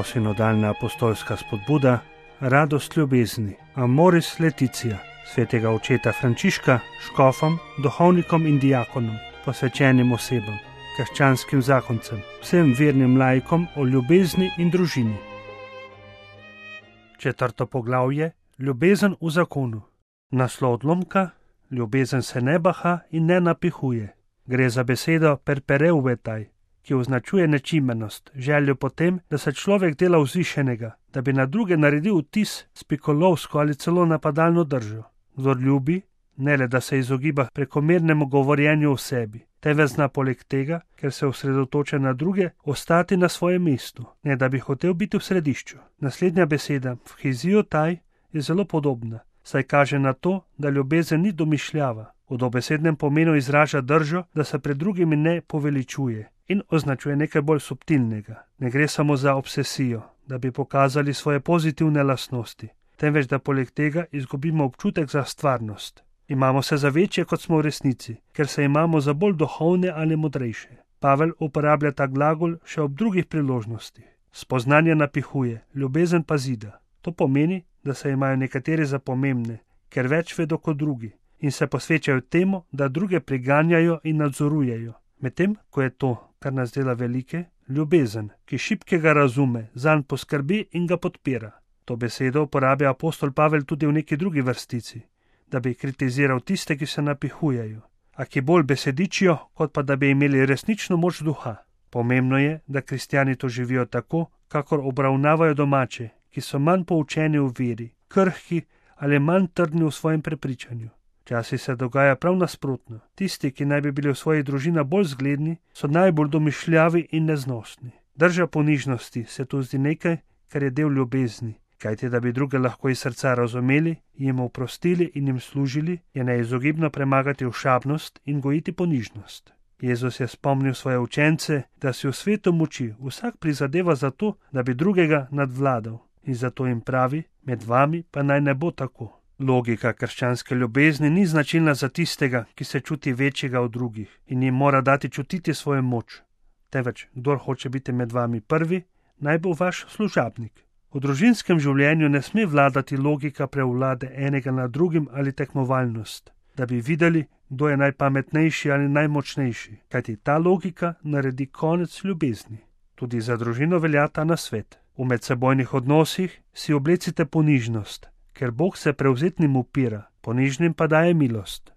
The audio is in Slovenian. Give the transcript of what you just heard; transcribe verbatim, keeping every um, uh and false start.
Posinodalna apostolska spodbuda, radost ljubezni, Amoris Laetitia, svetega očeta Frančiška, škofom, duhovnikom in diakonom, posvečenim osebam, krščanskim zakoncem, vsem vernim laikom o ljubezni in družini. Četrto poglavje, ljubezen v zakonu. Naslov odlomka, ljubezen se ne baha in ne napihuje. Gre za besedo perpereuvetaj, ki označuje nečimrnost, željo potem, da se človek dela vzvišenega, da bi na druge naredil vtis s pikolovsko ali celo napadalno držo. Kdor ljubi, ne le da se izogiba prekomernemu govorjenju o sebi, temveč zna poleg tega, ker se osredotoča na druge, ostati na svojem mestu, ne da bi hotel biti v središču. Naslednja beseda, phiziotai, je zelo podobna, saj kaže na to, da ljubezen ni domišljava. V dobesednem pomenu izraža držo, da se pred drugimi ne poveličuje in označuje nekaj bolj subtilnega. Ne gre samo za obsesijo, da bi pokazali svoje pozitivne lastnosti, temveč da poleg tega izgubimo občutek za stvarnost. Imamo se za večje, kot smo v resnici, ker se imamo za bolj duhovne ali modrejše. Pavel uporablja ta glagol še ob drugih priložnostih. Spoznanje napihuje, ljubezen pa zida. To pomeni, da se imajo nekateri za pomembne, ker več vedo kot drugi in se posvečajo temu, da druge priganjajo in nadzorujejo. Medtem, ko je to, kar nas dela velike, ljubezen, ki šibkega razume, zanj poskrbi in ga podpira. To besedo uporablja apostol Pavel tudi v neki drugi vrstici, da bi kritiziral tiste, ki se napihujejo, a ki bolj besedičijo, kot pa da bi imeli resnično moč duha. Pomembno je, da kristjani to živijo tako, kakor obravnavajo domače, ki so manj poučeni v veri, krhki ali manj trdni v svojem prepričanju. Včasih se dogaja prav nasprotno. Tisti, ki naj bi bili v svojih družinah bolj zgledni, so najbolj domišljavi in neznosni. Drža ponižnosti se tu zdi nekaj, kar je del ljubezni, kajti da bi druge lahko iz srca razumeli, jim oprostili in jim služili, je neizogibno premagati ošabnost in gojiti ponižnost. Jezus je spomnil svoje učence, da si v svetu moči vsak prizadeva za to, da bi drugega nadvladal, in zato jim pravi, med vami pa naj ne bo tako. Logika krščanske ljubezni ni značilna za tistega, ki se čuti večjega od drugih in jim mora dati čutiti svojo moč. Temveč, kdor hoče biti med vami prvi, naj bo vaš služabnik. V družinskem življenju ne sme vladati logika prevlade enega nad drugim ali tekmovalnost, da bi videli, kdo je najpametnejši ali najmočnejši, kajti ta logika naredi konec ljubezni. Tudi za družino velja ta nasvet. V medsebojnih odnosih si oblecite ponižnost, ker Bog se prevzetnim upira, ponižnim pa daje milost.